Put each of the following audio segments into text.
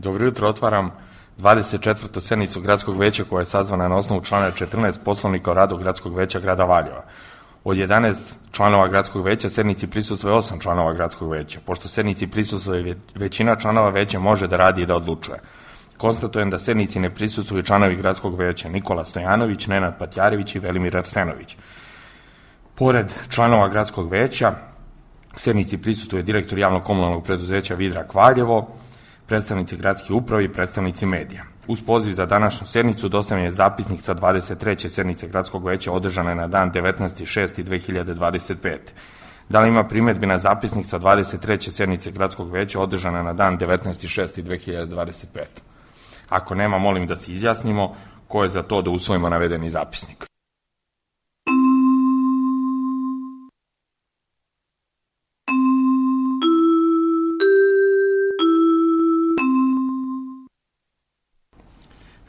Dobro jutro, otvaram 24. sednicu Gradskog veća koja je sazvana na osnovu člana 14 Poslovnika o radu Gradskog veća grada Valjeva. Od 11 članova Gradskog veća sednici prisustvuje 8 članova Gradskog veća. Pošto sednici prisustvuje većina članova veća može da radi i da odlučuje. Konstatujem da sednici ne prisustvuju članovi Gradskog veća Nikola Stojanović, Nenad Patjarević i Velimir Arsenović. Pored članova Gradskog veća sednici prisustuje direktor javnog komunalnog preduzeća Vidrak Valjevo, predstavnici gradske uprave i predstavnici medija. Uz poziv za današnju sednicu dostavljen je zapisnik sa 23. sednice Gradskog veća održane na dan 19.6.2025. Da li ima primedbi na zapisnik sa 23. sednice Gradskog veća održane na dan 19.6.2025? Ako nema, molim da se izjasnimo ko je za to da usvojimo navedeni zapisnik.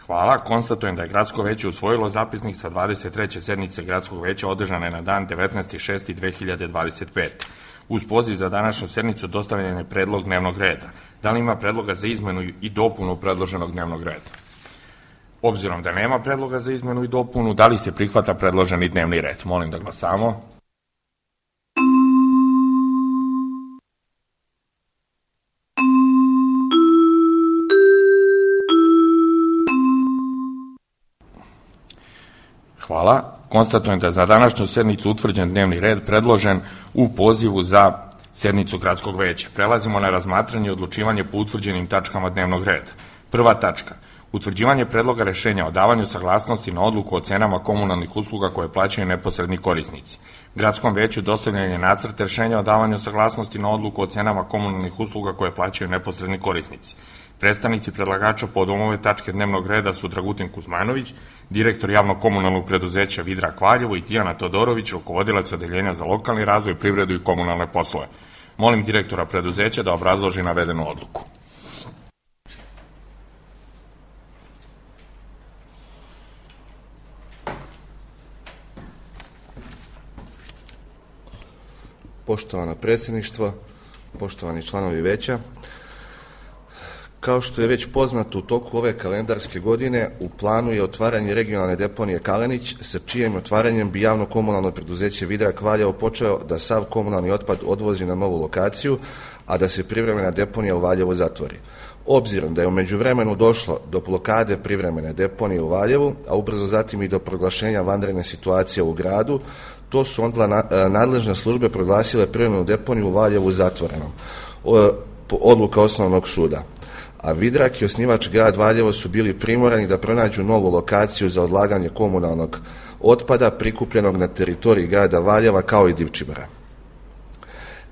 Hvala. Konstatujem da je Gradsko veće usvojilo zapisnik sa 23. sednice Gradskog veća održane na dan 19.6.2025. Uz poziv za današnju sednicu dostavljen je predlog dnevnog reda. Da li ima predloga za izmenu i dopunu predloženog dnevnog reda? Obzirom da nema predloga za izmenu i dopunu, da li se prihvata predloženi dnevni red? Molim da glasamo. Hvala. Konstatujem da je za današnju sednicu utvrđen dnevni red predložen u pozivu za sednicu Gradskog veća. Prelazimo na razmatranje i odlučivanje po utvrđenim tačkama dnevnog reda. Prva tačka. Utvrđivanje predloga rešenja o davanju saglasnosti na odluku o cenama komunalnih usluga koje plaćaju neposredni korisnici. Gradskom veću dostavljen je nacrt rešenja o davanju saglasnosti na odluku o cenama komunalnih usluga koje plaćaju neposredni korisnici. Predstavnici predlagača povodom ove tačke dnevnog reda su Dragutin Kuzmanović, direktor javnog komunalnog preduzeća Vidrak Valjevo, i Tijana Todorović, rukovodilac odeljenja za lokalni razvoj, privredu i komunalne poslove. Molim direktora preduzeća da obrazloži navedenu odluku. Poštovana predsjedništva, poštovani članovi veća, kao što je već poznato, u toku ove kalendarske godine u planu je otvaranje regionalne deponije Kalenić, sa čijim otvaranjem bi javno komunalno preduzeće Vidrak Valjevo počeo da sav komunalni otpad odvozi na novu lokaciju, a da se privremena deponija u Valjevu zatvori. Obzirom da je u međuvremenu došlo do blokade privremene deponije u Valjevu, a ubrzo zatim i do proglašenja vanredne situacije u gradu, to su onda nadležne službe proglasile privremenu deponiju u Valjevu zatvorenom, odluka Osnovnog suda. A Vidrak i osnivač grad Valjevo su bili primorani da pronađu novu lokaciju za odlaganje komunalnog otpada prikupljenog na teritoriji grada Valjeva kao i Divčibara.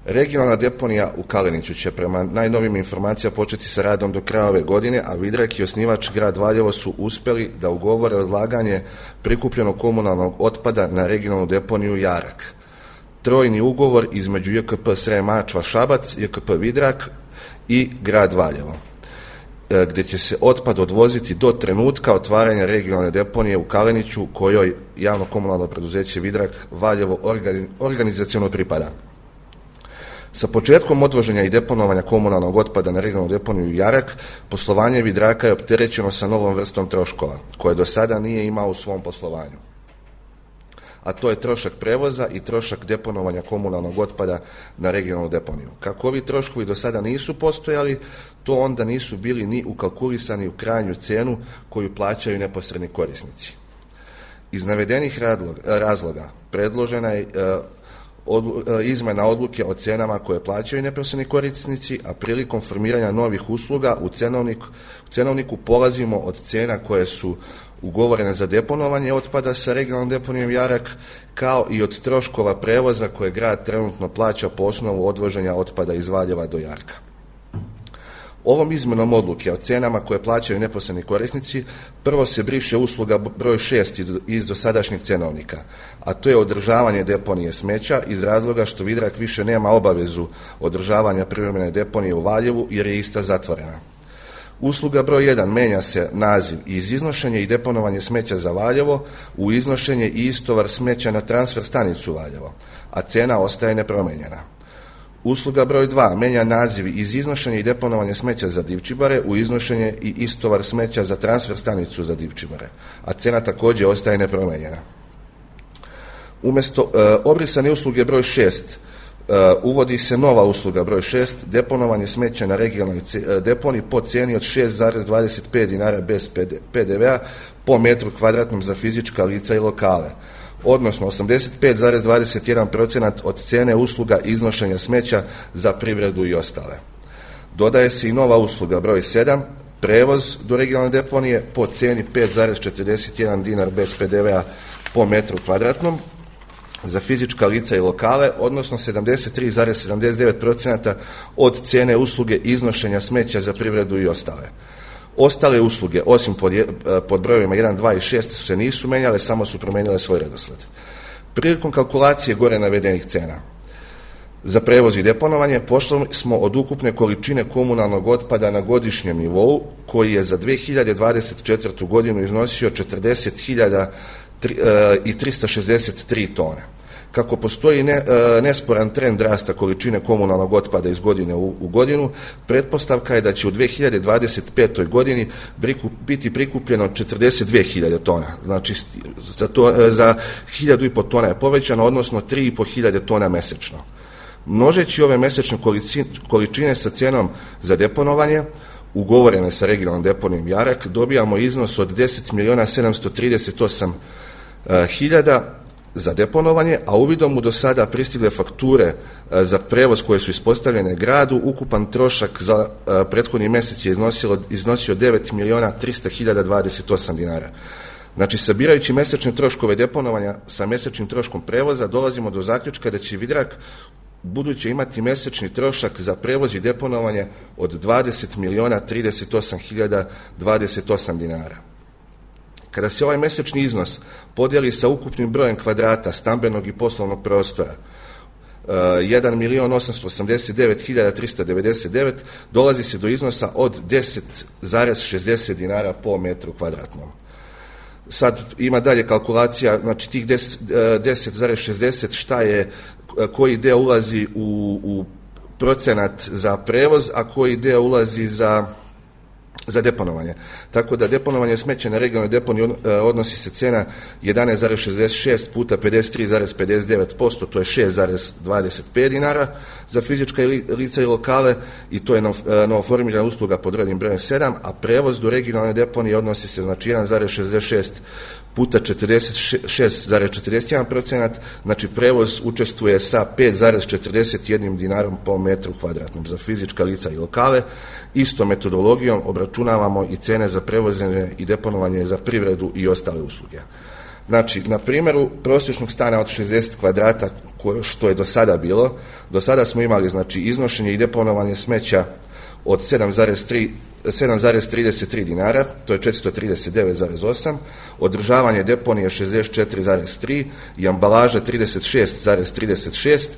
Regionalna deponija u Kaleniću će prema najnovim informacijama početi sa radom do kraja ove godine, a Vidrak i osnivač grad Valjevo su uspeli da ugovore odlaganje prikupljenog komunalnog otpada na regionalnu deponiju Jarak. Trojni ugovor između JKP Srem Mačva Šabac, JKP Vidrak i grad Valjevo, gde će se otpad odvoziti do trenutka otvaranja regionalne deponije u Kaleniću, kojoj javno komunalno preduzeće Vidrak Valjevo organizaciono pripada. Sa početkom odvoženja i deponovanja komunalnog otpada na regionalnu deponiju Jarak, poslovanje Vidraka je opterećeno sa novom vrstom troškova, koje do sada nije imao u svom poslovanju. A to je trošak prevoza i trošak deponovanja komunalnog otpada na regionalnu deponiju. Kako ovi troškovi do sada nisu postojali, to onda nisu bili ni ukalkulisani u krajnju cenu koju plaćaju neposredni korisnici. Iz navedenih razloga predložena je izmena odluke o cenama koje plaćaju neposredni korisnici, a prilikom formiranja novih usluga u cenovniku polazimo od cena koje su ugovorene za deponovanje otpada sa regionalnom deponijom Jarak, kao i od troškova prevoza koje grad trenutno plaća po osnovu odvoženja otpada iz Valjeva do Jarka. Ovom izmenom odluke o cenama koje plaćaju neposredni korisnici, prvo se briše usluga broj 6 iz dosadašnjeg cenovnika, a to je održavanje deponije smeća, iz razloga što Vidrak više nema obavezu održavanja privremene deponije u Valjevu jer je ista zatvorena. Usluga broj 1 menja se naziv iz iznošenje i deponovanje smeća za Valjevo u iznošenje i istovar smeća na transfer stanicu Valjevo, a cena ostaje nepromenjena. Usluga broj 2 menja naziv iz iznošenja i deponovanja smeća za Divčibare u iznošenje i istovar smeća za transfer stanicu za Divčibare, a cena također ostaje nepromenjena. Umjesto obrisane usluge broj 6 uvodi se nova usluga broj 6, deponovanje smeća na regionalnoj deponiji po cijeni od 6,25 dinara bez PDV-a po metru kvadratnom za fizička lica i lokale, odnosno 85,21% od cijene usluga iznošenja smeća za privredu i ostale. Dodaje se i nova usluga broj 7, prevoz do regionalne deponije po cijeni 5,41 dinar bez PDV-a po metru kvadratnom za fizička lica i lokale, odnosno 73,79% od cijene usluge iznošenja smeća za privredu i ostale. Ostale usluge, osim pod brojevima 1, 2 i 6, se nisu menjale, samo su promijenile svoj redosled. Prilikom kalkulacije gore navedenih cena za prevoz i deponovanje pošli smo od ukupne količine komunalnog otpada na godišnjem nivou, koji je za 2024. godinu iznosio 40.363 tone. Kako postoji nesporan trend rasta količine komunalnog otpada iz godine u godinu, pretpostavka je da će u 2025. godini biti prikupljeno 42.000 tona. Znači, za 1.500 tona je povećano, odnosno 3.500 tona mesečno. Množeći ove mesečne količine sa cijenom za deponovanje, ugovorene sa regionalnom deponijom Jarak, dobijamo iznos od 10.738.000 za deponovanje, a uvidom u do sada pristigle fakture za prevoz koje su ispostavljene gradu, ukupan trošak za prethodni mjesec je iznosio 9.300.028 dinara. Znači, sabirajući mesečne troškove deponovanja sa mesečnim troškom prevoza, dolazimo do zaključka da će Vidrak buduće imati mesečni trošak za prevoz i deponovanje od 20.038.028 dinara. Kada se ovaj mesečni iznos podijeli sa ukupnim brojem kvadrata stambenog i poslovnog prostora, 1.889.399, dolazi se do iznosa od 10,60 dinara po metru kvadratnom. Sad ima dalje kalkulacija, znači tih 10,60 šta je, koji deo ulazi u procenat za prevoz, a koji deo ulazi za deponovanje. Tako da deponovanje smeća na regionalnoj deponiji odnosi se cena 11,66 puta 53,59%, to je 6,25 dinara za fizička lica i lokale, i to je novoformirana usluga pod rednim brojem 7, a prevoz do regionalne deponije odnosi se, znači, 1,66 puta 46,41%, znači prevoz učestvuje sa 5,41 dinarom po metru kvadratnom za fizička lica i lokale. Istom metodologijom obračunavamo i cene za prevoženje i deponovanje za privredu i ostale usluge. Znači, na primjeru prosječnog stana od 60 kvadrata, što je do sada bilo, do sada smo imali, znači, iznošenje i deponovanje smeća od 7,33 dinara, to je 439,8, održavanje deponije 64,3 i ambalaža 36,36,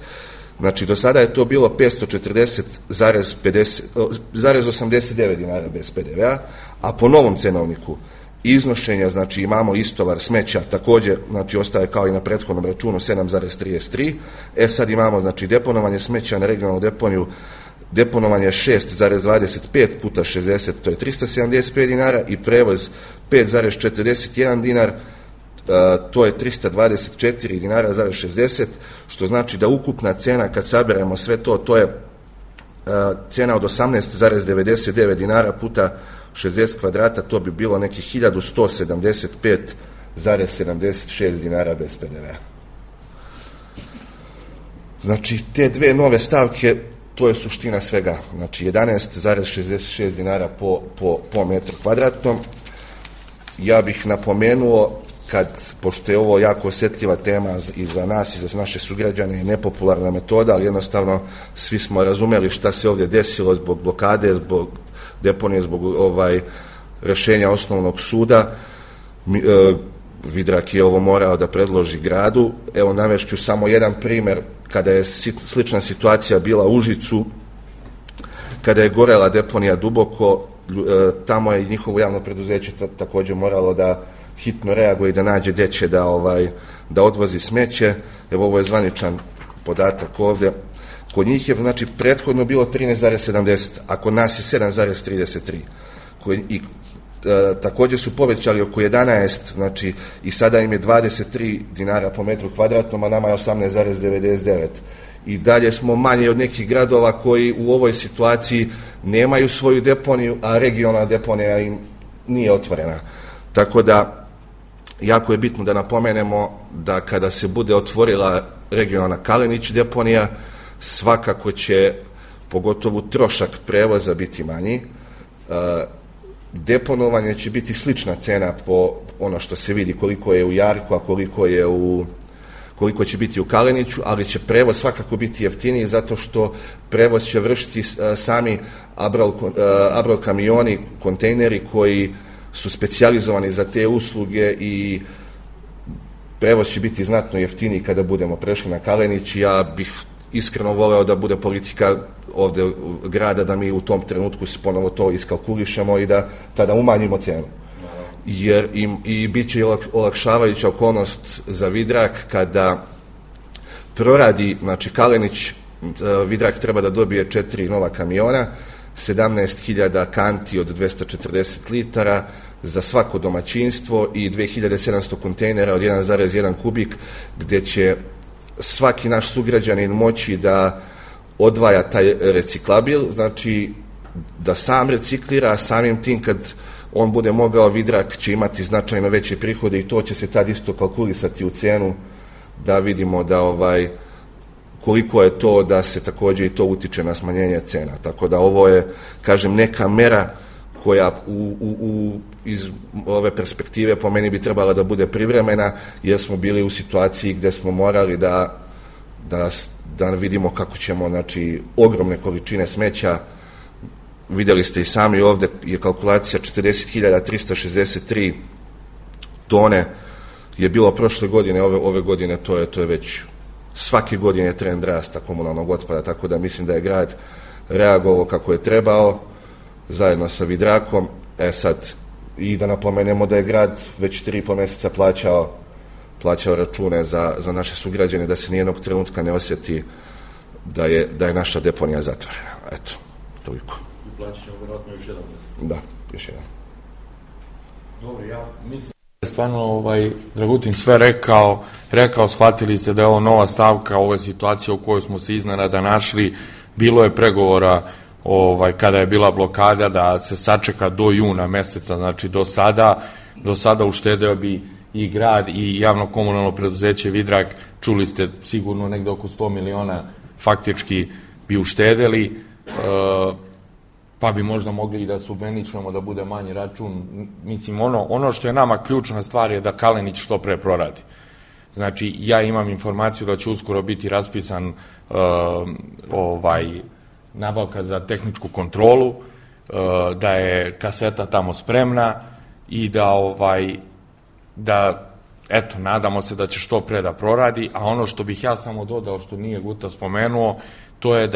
znači do sada je to bilo 540,89 dinara bez PDV-a, a po novom cenovniku iznošenja, znači, imamo istovar smeća, također, znači, ostaje kao i na prethodnom računu 7,33, sad imamo, znači, deponovanje smeća na regionalnu deponiju, deponovanje 6,25 puta 60, to je 375 dinara, i prevoz 5,41 dinar, to je 324 dinara, 60, što znači da ukupna cena, kad saberemo sve to, to je cena od 18,99 dinara puta 60 kvadrata, to bi bilo nekih 1175,76 dinara bez PDV-a. Znači, te dve nove stavke, to je suština svega, znači 11,66 dinara po metru kvadratnom. Ja bih napomenuo, pošto je ovo jako osjetljiva tema i za nas i za naše sugrađane, nepopularna metoda, ali jednostavno svi smo razumeli šta se ovdje desilo zbog blokade, zbog deponije, zbog rješenja osnovnog suda. Vidrak je ovo morao da predloži gradu. Evo, navešću samo jedan primjer kada je slična situacija bila u Užicu, kada je gorela deponija Duboko, tamo je njihovo javno preduzeće također moralo da hitno reaguje i da nađe gdje će da odvozi smeće. Evo, ovo je zvaničan podatak ovdje. Kod njih je znači prethodno bilo 13,70, a kod nas je 7,33. I također su povećali oko 11, znači i sada im je 23 dinara po metru kvadratnom, a nama je 18,99. I dalje smo manje od nekih gradova koji u ovoj situaciji nemaju svoju deponiju, a regionalna deponija im nije otvorena. Tako da, jako je bitno da napomenemo da kada se bude otvorila regionalna Kalenić deponija, svakako će pogotovo trošak prevoza biti manji. Deponovanje će biti slična cena po ono što se vidi koliko je u Jarku, a koliko će biti u Kaleniću, ali će prevoz svakako biti jeftiniji zato što prevoz će vršiti sami Abrol kamioni, kontejneri koji su specijalizovani za te usluge i prevoz će biti znatno jeftiniji kada budemo prešli na Kalenić. Ja bih iskreno voleo da bude politika ovde grada da mi u tom trenutku se ponovo to iskalkulišemo i da tada umanjimo cenu. Jer i bit će olakšavajuća okolnost za Vidrak kada proradi, znači Kalenić, Vidrak treba da dobije 4 nova kamiona, 17.000 kanti od 240 litara za svako domaćinstvo i 2700 kontejnera od 1,1 kubik, gde će svaki naš sugrađanin moći da odvaja taj reciklabil, znači da sam reciklira, a samim tim kad on bude mogao, Vidrak će imati značajno veće prihode i to će se tad isto kalkulisati u cenu da vidimo da koliko je to da se također i to utiče na smanjenje cena. Tako da ovo je, kažem, neka mera koja iz ove perspektive po meni bi trebala da bude privremena, jer smo bili u situaciji gde smo morali da vidimo kako ćemo, znači, ogromne količine smeća. Videli ste i sami, ovde je kalkulacija 40.363 tone je bilo prošle godine, ove godine to je već svake godine trend rasta komunalnog otpada, tako da mislim da je grad reagovao kako je trebao zajedno sa Vidrakom. Sad, i da napomenemo da je grad već 3,5 meseca plaćao račune za naše sugrađane, da se nijednog trenutka ne osjeti da je naša deponija zatvorena. Eto, toliko. I plaćat ćemo vjerojatno još jedan mjesec. Da, još jedan. Dobro, ja mislim da je stvarno Dragutin sve rekao, shvatili ste da je ovo nova stavka, ove situacije u kojoj smo se iznenada našli. Bilo je pregovora kada je bila blokada da se sačeka do juna meseca, znači do sada uštedeo bi i grad i javno komunalno preduzeće Vidrak, čuli ste sigurno negde oko 100 miliona faktički bi uštedeli, pa bi možda mogli i da subveničemo da bude manji račun. Mislim, ono što je nama ključna stvar je da Kalenić što pre proradi. Znači, ja imam informaciju da će uskoro biti raspisan nabavka za tehničku kontrolu, da je kaseta tamo spremna i da eto, nadamo se da će što pre da proradi, a ono što bih ja samo dodao, što nije Guta spomenuo, to je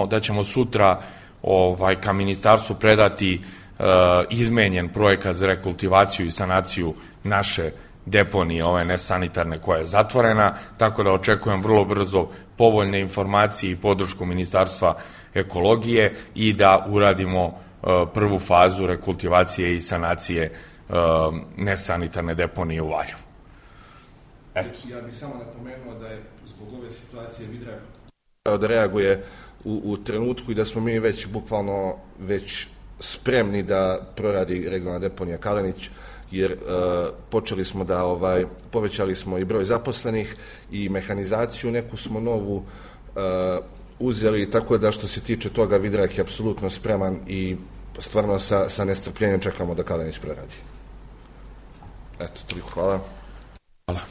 da ćemo sutra ka ministarstvu predati izmenjen projekat za rekultivaciju i sanaciju naše deponije, ove nesanitarne koja je zatvorena, tako da očekujem vrlo brzo povoljne informacije i podršku Ministarstva ekologije i da uradimo prvu fazu rekultivacije i sanacije nesanitarne deponije u Valjevu. Ja bih samo napomenuo da je zbog ove situacije Vidrak da reaguje u trenutku i da smo mi već bukvalno spremni da proradi regionalna deponija Kalenić, jer povećali smo i broj zaposlenih i mehanizaciju, neku smo novu uzeli, tako da što se tiče toga Vidrak je apsolutno spreman i stvarno sa nestrpljenjem čekamo da Kalenić proradi. Eto, toliko, hvala. Hvala.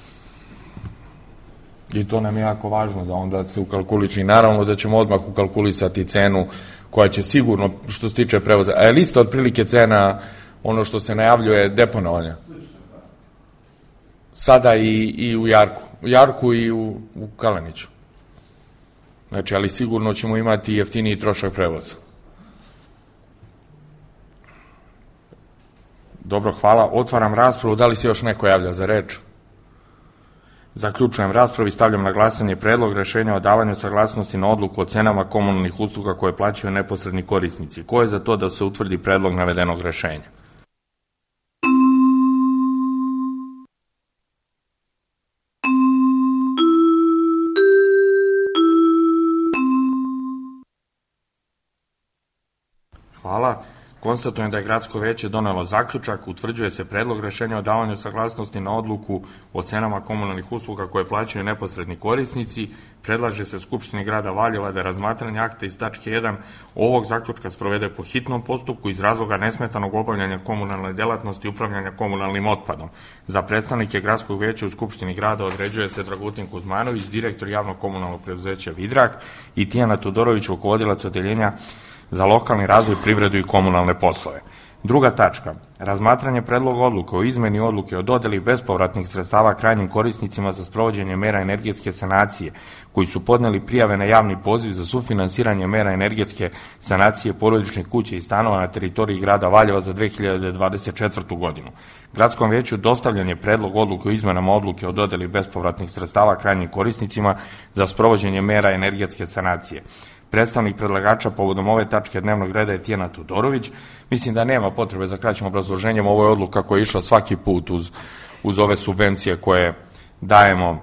I to nam je jako važno da onda se ukalkuliči. Naravno da ćemo odmah ukalkulisati cenu koja će sigurno, što se tiče prevoza. A je lista otprilike cena ono što se najavljuje deponovanja? Sada i u Jarku. U Jarku i u Kaleniću. Znači, ali sigurno ćemo imati jeftiniji trošak prevoza. Dobro, hvala. Otvaram raspravu. Da li se još neko javlja za reč? Zaključujem raspravu i stavljam na glasanje predlog rešenja o davanju saglasnosti na odluku o cenama komunalnih usluga koje plaćaju neposredni korisnici. Ko je za to da se utvrdi predlog navedenog rešenja? Hvala. Konstatujem da je Gradsko veće donelo zaključak, utvrđuje se predlog rešenja o davanju saglasnosti na odluku o cenama komunalnih usluga koje plaćaju neposredni korisnici. Predlaže se Skupštini grada Valjeva da razmatranje akta iz tačke 1 ovog zaključka sprovede po hitnom postupku iz razloga nesmetanog obavljanja komunalne delatnosti i upravljanja komunalnim otpadom. Za predstavnike Gradskog veća u Skupštini grada određuje se Dragutin Kuzmanović, direktor javnog komunalnog preduzeća Vidrak, i Tijana Todorović, rukovodilac odeljenja za lokalni razvoj, privredu i komunalne poslove. Druga tačka, razmatranje predloga odluke o izmeni odluke o dodeli bespovratnih sredstava krajnjim korisnicima za sprovođenje mera energetske sanacije, koji su podneli prijave na javni poziv za sufinansiranje mera energetske sanacije porodičnih kuća i stanova na teritoriji grada Valjeva za 2024. godinu. Gradskom veću dostavljen je predlog odluke o izmenama odluke o dodeli bespovratnih sredstava krajnjim korisnicima za sprovođenje mera energetske sanacije. Predstavnik predlagača povodom ove tačke dnevnog reda je Tijana Todorović. Mislim da nema potrebe za kraćim obrazloženjem. Ovo je odluka koja je išla svaki put uz ove subvencije koje dajemo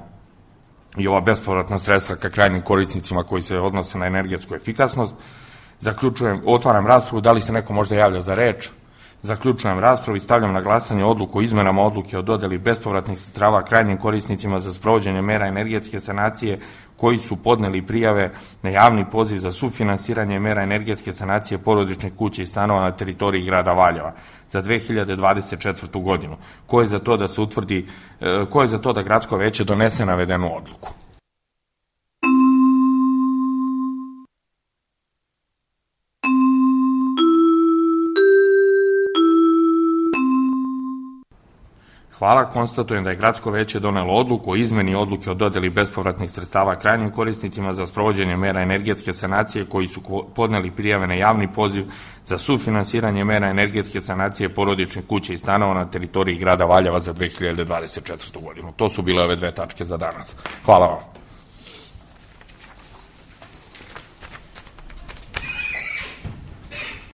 i ova bespovratna sredstva ka krajnjim korisnicima koji se odnose na energetsku efikasnost. Otvaram raspravu. Da li se neko možda javlja za reč? Zaključujem raspravu i stavljam na glasanje odluku o izmenama odluke o dodeli bespovratnih sredstava krajnjim korisnicima za sprovođenje mera energetske sanacije koji su podneli prijave na javni poziv za sufinansiranje mera energetske sanacije porodičnih kuća i stanova na teritoriji grada Valjeva za 2024. godinu. Ko je za to da Gradsko veće donese navedenu odluku? Hvala. Konstatujem da je Gradsko veće donelo odluku o izmeni odluke o dodeli bespovratnih sredstava krajnjim korisnicima za sprovođenje mera energetske sanacije koji su podneli prijave na javni poziv za sufinansiranje mera energetske sanacije porodičnih kuća i stanova na teritoriji grada Valjeva za 2024. godinu. To su bile ove dve tačke za danas. Hvala vam.